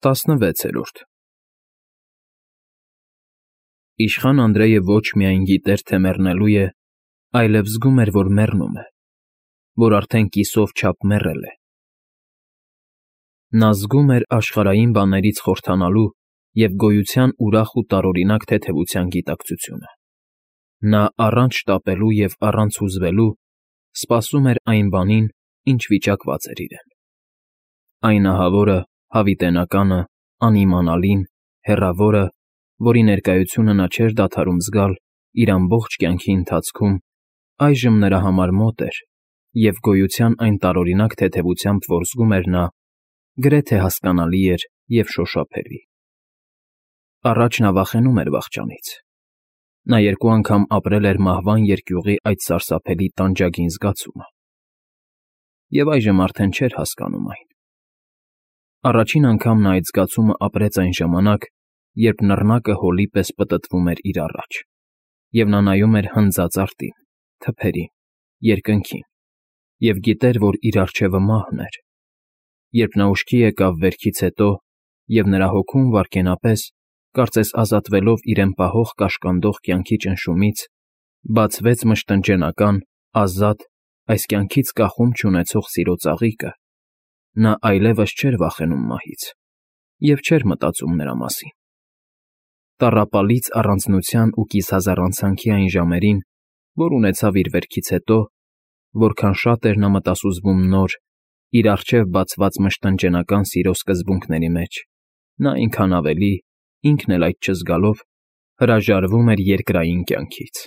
16 Իշխան Անդրեյը ոչ միայն գիտեր, թե մեռնելու է, այլև զգում էր, որ մեռնում է, որ արդեն կիսով չափ մեռել է։ Նա զգում էր աշխարհային բաներից խորհրդանալու և գոյության ուրախ ու տարօրինակ թեթևության գիտակցությունը։ Նա առանց շտապելու և առանց հուզվելու սպասում էր այն բանին, ինչ վիճակված էր իրեն։ Այն ահավորը, հավիտենականը, անիմանալին, հեռավորը, որի ներկայությունը նա չէր դադարում զգալ իր ամբողջ կյանքի ընթացքում, այժմ նրա համար մոտ էր, և գոյության այն տարօրինակ թեթևությամբ, որ զգում էր նա, գրեթե հասկանալի էր և շոշափելի։ Առաջ նա վախենում էր վախճանից։ Նա 2 անգամ ապրել էր մահվան երկյուղի այդ սարսափելի տանջագին զգացումը։ Եվ այժմ արդեն չէր հասկանում այն։ Առաջին անգամ նա այդ զգացումը ապրեց այն ժամանակ, երբ նռնակը հոլի պես պտտվում էր իր առաջ, և նա նայում էր հնձած արտին, թփերին, երկնքին, և գիտեր, որ իր առջևը մահն էր։ Երբ նա ուշքի եկավ վերքից հետո, և նրա հոգում վայրկենապես, կարծես ազատվելով իրեն պահող կաշկանդող կյանքի ճնշումից, բացվեց մշտնջենական, ազատ, այս կյանքից կախում չունեցող սիրո ծաղիկը, նա այլևս չէր վախենում մահից և չէր մտածում նրա մասին։ Տառապալից առանձնության ու կիսահազարանցանքի այն ժամերին, որ ունեցավ իր վերքից հետո, որքան շատ էր նա մտասուզվում նոր, իր առջև բացված մշտնջենական սիրո սկզբունքների մեջ, նա այնքան ավելի, ինքն էլ այդ չզգալով, հրաժարվում էր երկրային կյանքից։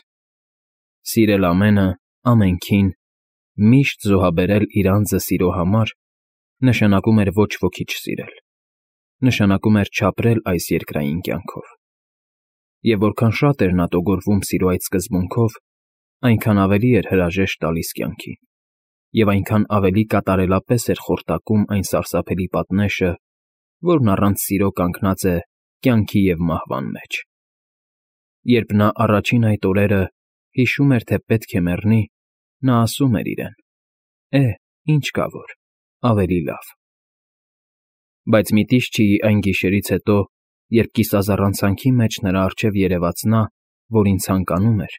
Սիրել ամենը, ամենքին, միշտ զոհաբերել իր անձը սիրո համար, նշանակում էր ոչ ոքի չսիրել, նշանակում էր չապրել այս երկրային կյանքով։ Եվ որքան շատ էր նա տոգորվում սիրո այդ սկզբունքով, այնքան ավելի էր հրաժեշտ տալիս կյանքին, և այնքան ավելի կատարելապես էր խորտակում այն սարսափելի պատնեշը, որն առանց սիրո կանգնած է կյանքի և մահվան մեջ։ Երբ նա առաջին այդ օրերը հիշում էր, թե պետք է մեռնի, նա ասում էր իրեն. ինչ կա որ, ավելի լավ։ Բայց Միտիշչիի այն գիշերից հետո, երբ կիսազառանցանքի մեջ նրա առջև երևաց նա, որին ցանկանում էր,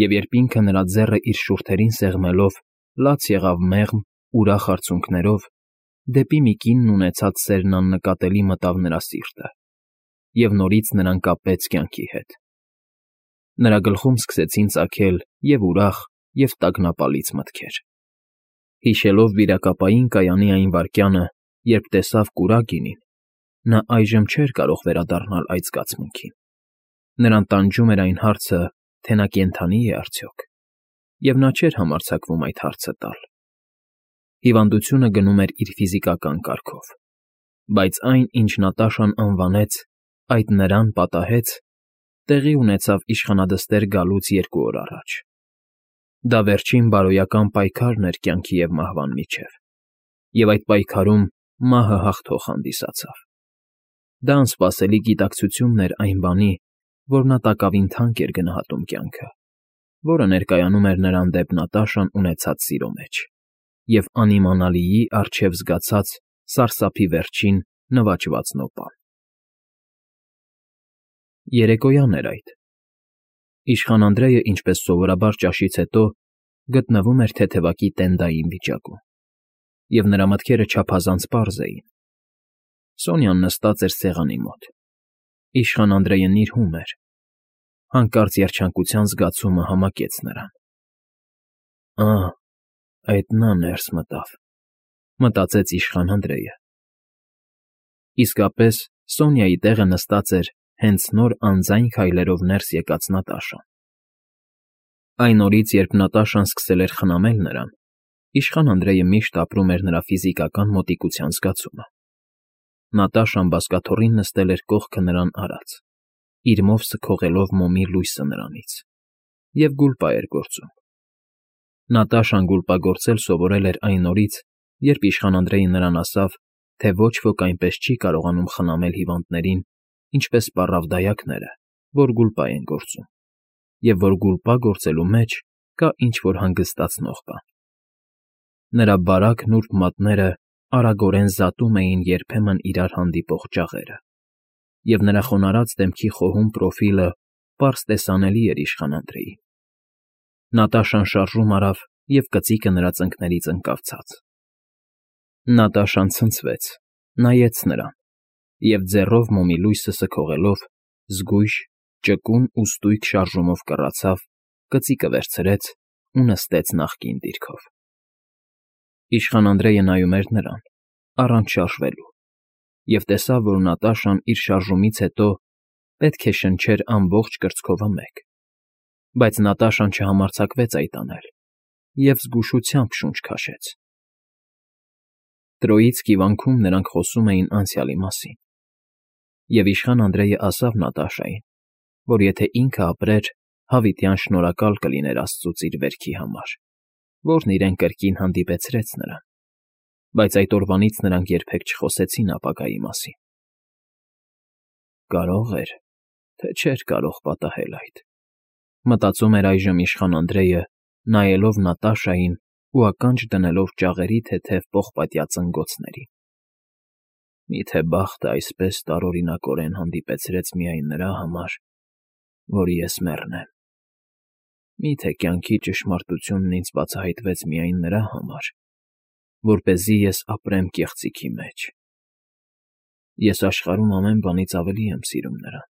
և երբ ինքը նրա ձեռը իր շուրթերին սեղմելով լաց եղավ մեղմ, ուրախ արցունքներով, դեպի մի կինն ունեցած սերն աննկատելի մտավ նրա սիրտը, և նորից նրան կապեց կյանքի հետ։ Նրա գլխում սկսեցին ծագել և ուրախ, և տագնապալից մտքեր։ Հիշելով վիրակապային կայանի այն վայրկյանը, երբ տեսավ կուրակինին, նա այժմ չէր կարող վերադառնալ այդ զգացմունքին։ Նրան տանջում էր այն հարցը, թե նա կենդանի՞ է արդյոք, և նա չէր համարձակվում այդ հարցը տալ։ Հիվանդությունը գնում էր իր ֆիզիկական կարգով, բայց այն, ինչ Նատաշան անվանեց «այդ նրան պատահեց», տեղի ունեցավ իշխանադստեր գալուց 2 օր առաջ։ Դա վերջին բարոյական պայքարն էր կյանքի և մահվան միջև, և այդ պայքարում մահը հաղթող հանդիսացավ։ Դա անսպասելի գիտակցությունն էր այն բանի, որ նա տակավին թանկ էր գնահատում կյանքը, որը ներկայանում էր նրան դեպ Նատաշան ունեցած սիրո մեջ, և անիմանալիի առջև զգացած սարսափի վերջին նվաճված նոպան։ Երեկոյան էր այդ։ Իշխան Անդրեյը, ինչպես սովորաբար ճաշից հետո, գտնվում էր թեթևակի տենդային վիճակում, և նրա մտքերը չափազանց պարզ էին։ Սոնյան նստած էր սեղանի մոտ։ Իշխան Անդրեյը նիրհում էր։ Հանկարծ երջանկության զգացումը համակեց նրան։ Այդ նա ներս մտավ, մտածեց իշխան Անդրեյը։ Իսկապես, Սոնյայի տեղը նստած էր հենց նոր անձայն քայլերով ներս եկած Նատաշան։ Այն օրից, երբ Նատաշան սկսել էր խնամել նրան, իշխան Անդրեյը միշտ ապրում էր նրա ֆիզիկական մոտիկության զգացումը։ Նատաշան բազկաթոռին նստել էր կողքը նրան արած, իր մովսը քողելով մոմի լույսը նրանից, և գուլպա էր գործում։ Նատաշան գուլպագործել սովորել էր այն օրից, երբ իշխան Անդրեյը նրան ասավ, թե ոչ ոք այնպես չի կարողանում խնամել հիվանդներին, ինչպես պառավ դայակները, որ գուլպա են գործում, և որ գուլպա գործելու մեջ կա ինչ֊որ հանգստացնող բան։ Նրա բարակ նուրբ մատները արագորեն զատում էին երբեմն իրար հանդիպող ճաղերը, և նրա խոնարհած դեմքի խոհուն պրոֆիլը պարզ տեսանելի էր իշխան Անդրեին։ Նատաշան շարժում արավ, և կծիկը նրա ծնկներից ընկավ ցած։ Նատաշան ցնցվեց, նայեց նրան և ձեռով մոմի լույսը սքողելով զգույշ, ճկուն ու ստույգ շարժումով կռացավ, կծիկը վերցրեց ու նստեց նախկին դիրքով։ Իշխան Անդրեյը նայում էր նրան, առանց շարժվելու, և տեսավ, որ Նատաշան իր շարժումից հետո պետք է շնչեր ամբողջ կրծքովը մեկ, բայց Նատաշան չհամարձակվեց այդ անել և զգուշությամբ շունչ քաշեց։ Տրոյիցկի վանքում նրանք խոսում էին անցյալի մասին, և իշխան Անդրեյը ասավ Նատաշային, որ եթե ինքը ապրեր, հավիտյան շնորհակալ կլիներ աստծուց իր վերքի համար, որն իրեն կրկին հանդիպեցրեց նրան, բայց այդ օրվանից նրանք երբեք չխոսեցին ապագայի մասին։ Կարող էր, թե չէր կարող պատահել այդ, մտածում էր այժմ իշխան Անդրեյը, նայելով Նատաշային ու ականջ դնելով ճաղերի թեթև պողպատյա ծնգոցներին։ Միթե բախտը այսպես տարօրինակորեն հանդիպեցրեց միայն նրա համար, որ ես մեռնեմ։ Միթե կյանքի ճշմարտությունն ինձ բացահայտվեց միայն նրա համար, որպեսզի ես ապրեմ կեղծիքի մեջ։ Ես աշխարհում ամեն բանից ավելի եմ սիրում նրան։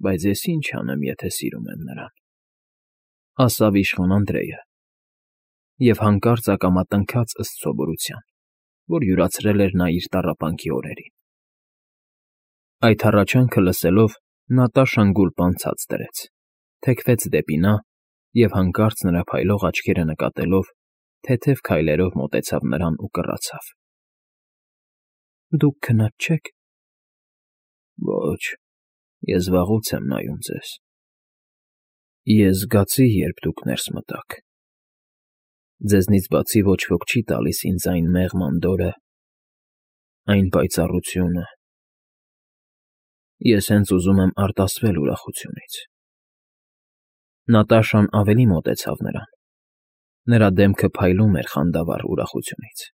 Բայց ես ինչ անեմ, եթե սիրում եմ նրան, ասավ իշխան Անդրեյը, և հանկարծ ակամա տնքաց ըստ սովորության, որ յուրացրել էր նա իր տառապանքի օրերին։ Այդ հառաչանքը լսելով Նատաշան գուլպան ցած դրեց, թեքվեց դեպի նա և հանկարծ նրա փայլող աչքերը նկատելով, թեթև քայլերով մոտեցավ նրան ու կռացավ։ Դուք քնած չե՞ք։ Ոչ, ես վաղուց եմ նայում ձեզ։ Ես զգացի, երբ դուք ներս մտաք։ Ձեզնից բացի ոչ ոք չի տալիս ինձ այն մեղմ անդորրը, այն պայծառությունը։ Ես հենց ուզում եմ արտասվել ուրախությունից։ Նատաշան ավելի մոտեցավ նրան։ Նրա դեմքը փայլում էր խանդավառ ուրախությունից։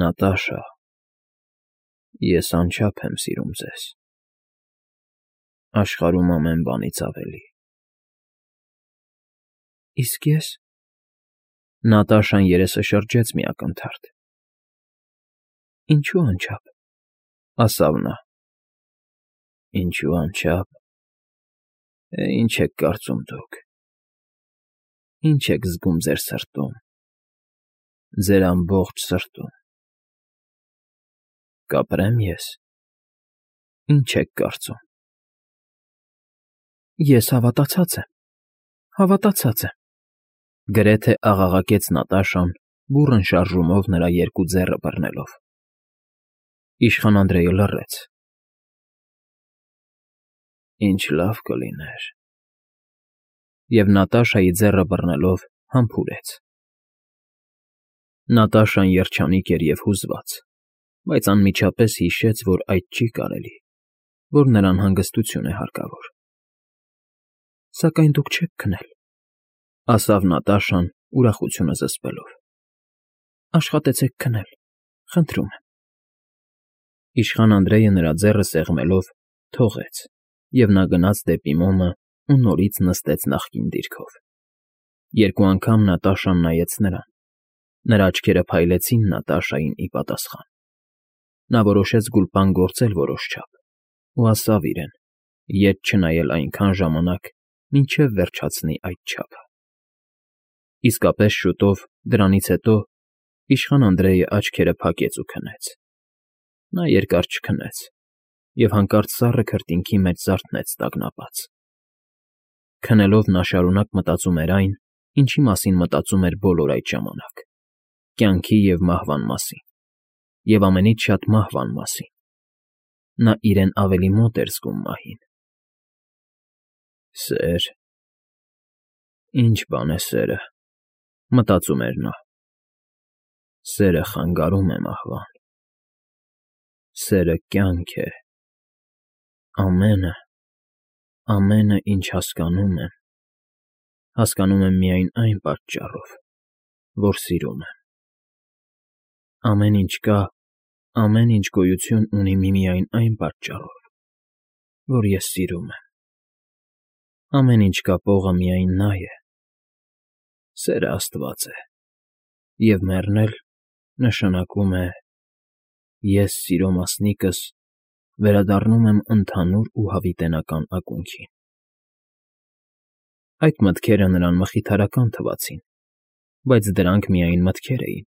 Նատաշա, ես անչափ եմ սիրում ձեզ։ Աշխարհում ամեն բանից ավելի։ Իսկ ես… Նատաշան երեսը շրջեց մի ակնթարթ։ Ինչու անչափ, ասավ նա։ Ինչու անչափ… Ինչ եք կարծում դուք։ Ինչ եք զգում ձեր սրտում, ձեր ամբողջ սրտում։ Կապրե՞մ ես։ Ինչ եք կարծում։ Ես հավատացած եմ, հավատացած եմ, գրեթե աղաղակեց Նատաշան, բուռն շարժումով նրա երկու ձեռը բռնելով։ Իշխան Անդրեյը լռեց։ Ինչ լավ կլիներ… Եվ Նատաշայի ձեռը բռնելով համբուրեց։ Նատաշան երջանիկ էր և հուզված, բայց անմիջապես հիշեց, որ այդ չի կարելի, որ նրան հանգստություն է հարկավոր։ Սակայն դուք չեք քնել, ասավ Նատաշան, ուրախությունը զսպելով։ Աշխատեցեք քնել, խնդրում եմ։ Իշխան Անդրեյը նրա ձեռը սեղմելով թողեց, և նա գնաց դեպի մոմը ու նորից նստեց նախկին դիրքով։ Երկու անգամ Նատաշան նայեց նրան։ Նրա աչքերը փայլեցին Նատաշային ի պատասխան։ Նա որոշեց գուլպան գործել որոշչափ ու ասավ իրեն, ետ չնայել այնքան ժամանակ, մինչև վերջացնի այդ չափը։ Իսկապես շուտով, դրանից հետո, իշխան Անդրեյը աչքերը փակեց ու քնեց։ Նա երկար չքնեց և հանկարծ սառը քրտինքի մեջ զարթնեց տագնապած։ Քնելով նա շարունակ մտածում էր այն, ինչի մասին մտածում էր բոլոր այդ ժամանակ՝ կյանքի և մահվան մասին, և ամենից շատ մահվան մասին։ Նա իրեն ավելի մոտ էր զգում մահին։ Սեր… Ի՞նչ բան է սերը, մտածում էր նա։ Սերը խանգարում է մահվան։ Սերը կյանք է։ Ամենը, ինչ հասկանում եմ միայն այն պատճառով, որ սիրում եմ։ Ամեն ինչ կա, ամեն ինչ գոյություն ունի միմիայն այն պատճառով, որ ես սիրում եմ։ Ամեն ինչ կապողը միայն նա է։ Սերը Աստված է, և մեռնել նշանակում է ես սիրո մասնիկս վերադառնում եմ ընդհանուր ու հավիտենական ակունքին։ Այդ մտքերը նրան մխիթարական թվացին, բայց դրանք միայն մտքեր էին։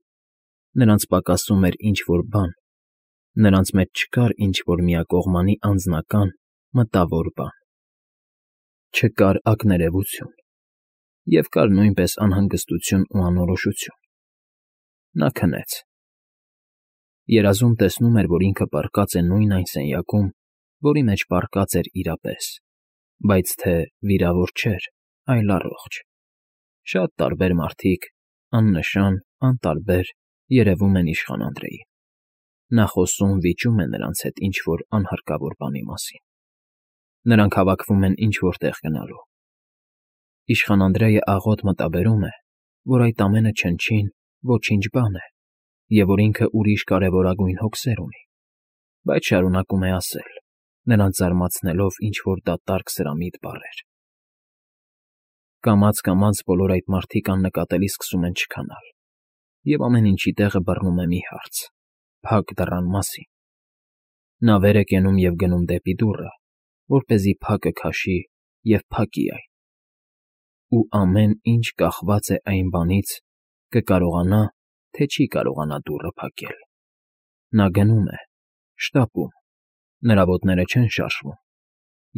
Նրանց պակասում էր ինչ-որ բան, նրանց մեջ չկար ինչ-որ միակողմանի անձնական, մտավոր բան։ Չկար ակներևություն, և կար նույնպես անհանգստություն ու անորոշություն։ Նա քնեց։ Երազում տեսնում էր, որ ինքը պառկած է նույն այն սենյակում, որի մեջ պառկած էր իրապես, բայց թե վիրավոր չէր, այլ առողջ։ Շատ տարբեր մարդիկ, աննշան, անտարբեր, երևում են իշխան Անդրեին։ Նա խոսում֊վիճում է նրանց հետ ինչ֊որ անհարկավոր բանի մասին։ Նրանք հավաքվում են ինչ֊որ տեղ գնալու։ Իշխան Անդրեյը աղոտ մտաբերում է, որ այդ ամենը չնչին ոչինչ բան է, և որ ինքը ուրիշ կարևորագույն հոգսեր ունի, բայց շարունակում է ասել, նրանց զարմացնելով ինչ֊որ դատարկ սրամիտ բառեր։ Կամաց֊կամաց բոլոր այդ մարդիկ աննկատելի սկսում են չքանալ, և ամեն ինչի տեղը բռնում է մի հարց՝ փակ դռան մասին։ Նա վեր է կենում և գնում դեպի դուռը, որպեսզի փակը քաշի և փակի այն։ Ու ամեն ինչ կախված է այն բանից՝ կկարողանա, թե չի կարողանա դուռը փակել։ Նա գնում է, շտապում, նրա ոտները չեն շարժվում,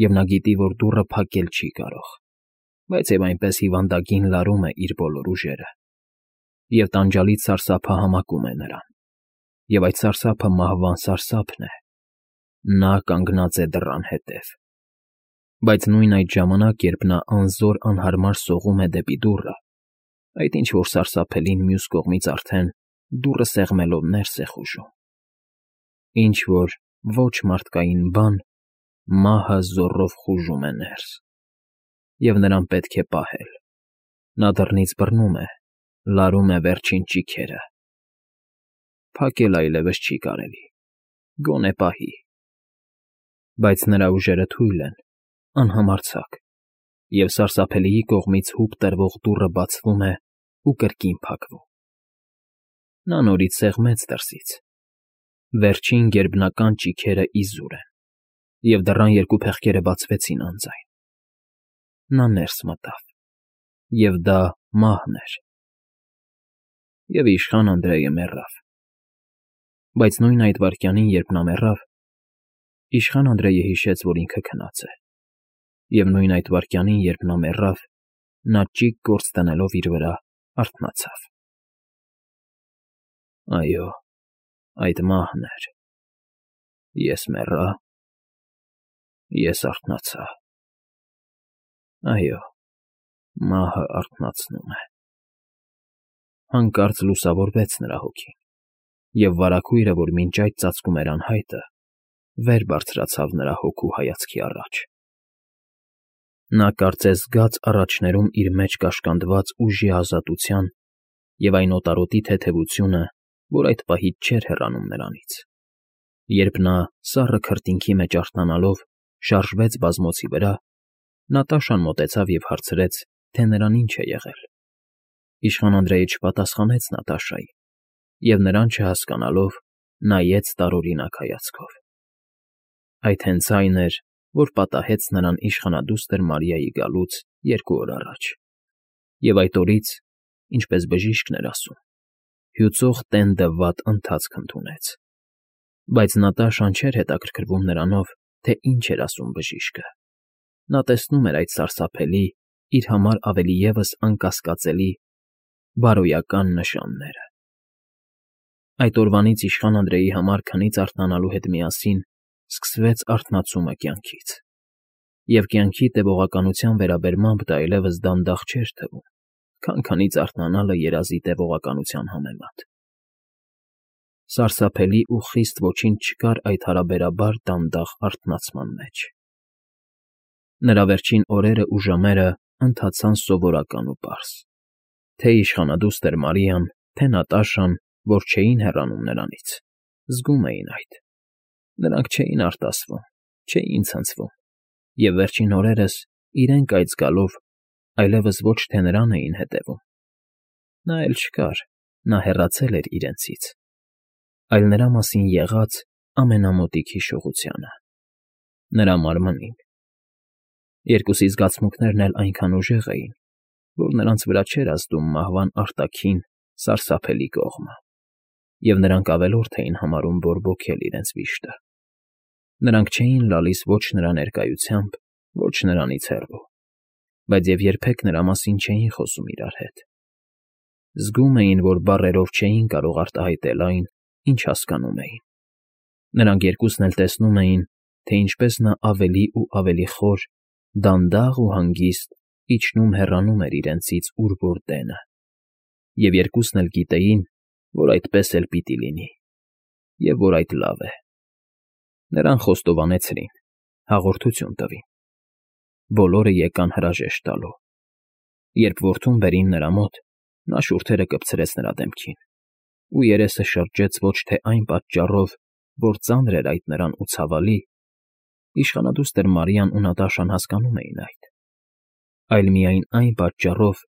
և նա գիտի, որ դուռը փակել չի կարող, բայց և այնպես հիվանդագին լարում է իր բոլոր ուժերը, և տանջալից սարսափը համակում է նրան, և այդ սարսափը մահվան սարսափն է։ Նա կանգնած է դռան հետև։ Բայց նույն այդ ժամանակ, երբ նա անզոր անհարմար սողում է դեպի դուռը, այդ ինչ֊որ սարսափելին մյուս կողմից արդեն դուռը սեղմելով ներս է խուժում։ Ինչ֊որ ոչ մարդկային բան մահը զոռով խուժում է ներս, և նրան պետք է պահել։ Նա դռնից բռնում է, լարում է վերջին ճիգերը։ Փակել այլևս չի կարելի, գոնե պահի։ Բայց նրա ուժերը թույլ են, անհամարձակ, և սարսափելիի կողմից հուպ տրվող դուռը բացվում է ու կրկին փակվում։ Նա նորից սեղմեց դրսից։ Վերջին գերբնական ճիգերը իզուր են, և դռան երկու փեղկերը բացվեցին անձայն։ Նա ներս մտավ, և դա մահն էր։ Եվ իշխան Անդրեյը մեռավ։ Բայց նույն այդ վայրկյանին, երբ նա մեռավ, իշխան Անդրեյը հիշեց, որ ինքը քնած է, և նույն այդ վայրկյանին, երբ նա մեռավ, նա ճիգ գործ դնելով իր վրա, արթնացավ։ Այո, այդ մահն էր։ Ես մեռա, ես արթնացա։ Այո, մահը արթնացնում է։ Հանկարծ լուսավորվեց նրա հոգին, և վարագույրը, որ մինչ այդ ծածկում էր անհայտը, վեր բարձրացավ նրա հոգու հայացքի առաջ։ Նա կարծես գաց առաջներում իր մեջ կաշկանդված ուժի ազատության և այն օտարոտի թեթևությունը, որ այդ պահից չէր հեռանում նրանից։ Երբ նա, սառը քրտինքի մեջ արթնանալով, շարժվեց բազմոցի վրա, Նատաշան մոտեցավ և հարցրեց, թե նրան ինչ է եղել։ Իշխան Անդրեյը չպատասխանեց Նատաշային և, նրան չհասկանալով, նայեց տարօրինակ հայացքով։ Այդ հենց այն էր, որ պատահեց նրան իշխանադուստր Մարիայի գալուց 2 օր առաջ, և այդ օրից, ինչպես բժիշկն էր ասում, հյուծող տենդը վատ ընթացք ընդունեց։ Բայց Նատաշան չէր հետաքրքրվում նրանով, թե ինչ էր ասում բժիշկը։ Նա տեսնում էր այդ սարսափելի, իր համար ավելի ևս անկասկածելի, բարոյական նշանները։ Այդ օրվանից իշխան Անդրեյի համար քնից արթնանալու հետ միասին սկսվեց արթնացումը կյանքից, և կյանքի տևողականության վերաբերմամբ դա այլևս դանդաղ չէր թվում, քան քնից արթնանալը երազի տևողականության համեմատ։ Սարսափելի ու խիստ ոչինչ չկար այդ հարաբերաբար դանդաղ արթնացման մեջ։ Նրա վերջին օրերն ու ժամերը ընթացան սովորական ու պարզ։ Թե՛ իշխանադուստր Մարիան, թե՛ Նատաշան որ չէին հեռանում նրանից, զգում էին այդ. նրանք չէին արտասվում, չէին ցնցվում, և վերջին օրերս իրենք այդ զգալով այլևս ոչ թե նրան էին հետևում. նա էլ չկար, նա հեռացել էր իրենցից, այլ նրա մասին եղած ամենամոտիկ հիշողությանը, նրա մարմնին. երկուսի զգացմունքներն էլ այնքան ուժեղ էին, որ նրանց վրա չէր ազդում մահվան արտաքին, սարսափելի կողմը, և նրանք ավելորդ էին համարում բորբոքել իրենց վիշտը. նրանք չէին լալիս ոչ նրա ներկայությամբ, ոչ նրանից հեռու, բայց և երբեք նրա մասին չէին խոսում իրար հետ. զգում էին, որ բառերով չէին կարող արտահայտել այն, ինչ հասկանում էին. նրանք երկուսն էլ տեսնում էին, թե ինչպես նա ավելի ու ավելի խոր, դանդաղ ու հանգիստ իջնում֊հեռանում էր իրենցից ուր որ դենը, և երկուսն էլ գիտեին, որ այդպես էլ պիտի լինի, և որ այդ լավ է. նրան խոստովանեցրին, հաղորդություն տվին. բոլորը եկան հրաժեշտ տալու. երբ որդուն բերին նրա մոտ, նա շուրթերը կպցրեց նրա դեմքին, ու երեսը շրջեց ոչ թե այն պատճառով, որ ծանր էր այդ նրան ու ցավալի, իշխանադուստր Մարիան ու Նատաշան հասկանում էին այդ, այլ միայն այն պատճառով,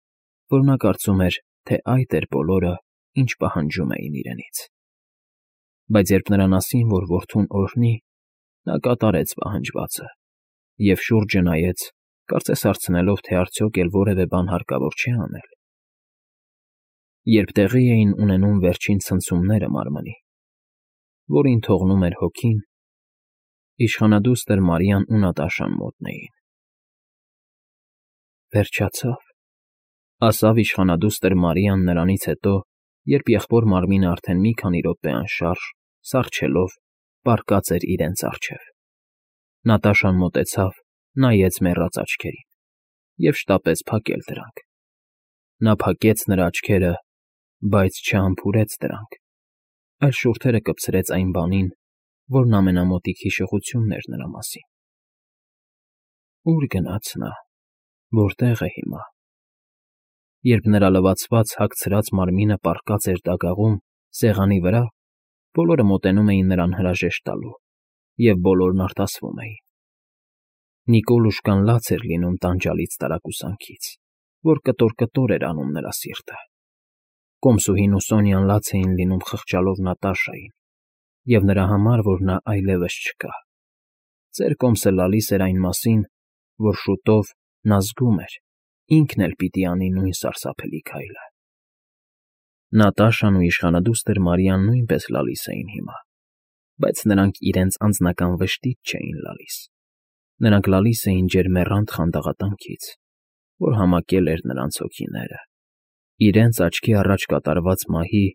որ նա կարծում էր, թե այդ էր բոլորը, ինչ պահանջում էին իրենից. բայց երբ նրան ասին, որ որդուն օրհնի, նա կատարեց պահանջվածը և շուրջը նայեց, կարծես հարցնելով, թե արդյոք էլ որևէ բան հարկավոր չէ անել. երբ տեղի էին ունենում վերջին ցնցումները մարմնի, որին թողնում էր հոգին, իշխանադուստր Մարիան ու Նատաշան մոտն էին. «Վերջացավ», ասավ իշխանադուստր Մարիան նրանից հետո, երբ եղբոր մարմինը արդեն մի քանի րոպե անշարժ, սառչելով, պառկած էր իրենց առջև. Նատաշան մոտեցավ, նայեց մեռած աչքերին և շտապեց փակել դրանք. նա փակեց նրա աչքերը, բայց չհամբուրեց դրանք, այլ շուրթերը կպցրեց այն բանին, որն ամենամոտիկ հիշողությունն էր նրա մասին. ուր գնաց նա, որտեղ է հիմա, երբ նրա լվացված հագցրած մարմինը պառկած էր դագաղում, սեղանի վրա, բոլորը մոտենում էին նրան հրաժեշտ տալու, և բոլորն արտասվում էին. Նիկոլուշկան լաց էր լինում տանջալից տարակուսանքից, որ կտոր-կտոր էր անում նրա սիրտը, Կոմսուհին ու Սոնյան լաց էին լինում խղճալով Նատաշային, և նրա համար, որ նա այլևս չկա. ծեր Կոմսը լալիս էր այն մասին, որ շուտով նա զգում էր, ինքն էլ պիտի անի նույն սարսափելի քայլը. Նատաշան ու իշխանադուստր Մարիան նույնպես լալիս էին հիմա, բայց նրանք իրենց անձնական վշտից չէին լալիս. նրանք լալիս էին ջերմեռանդ խանդաղատանքից, որ համակել էր նրանց հոգիները, իրենց աչքի առաջ կատարված մահի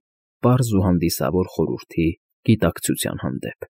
պարզ ու հանդիսավոր խորհրդի գիտակցության հանդեպ։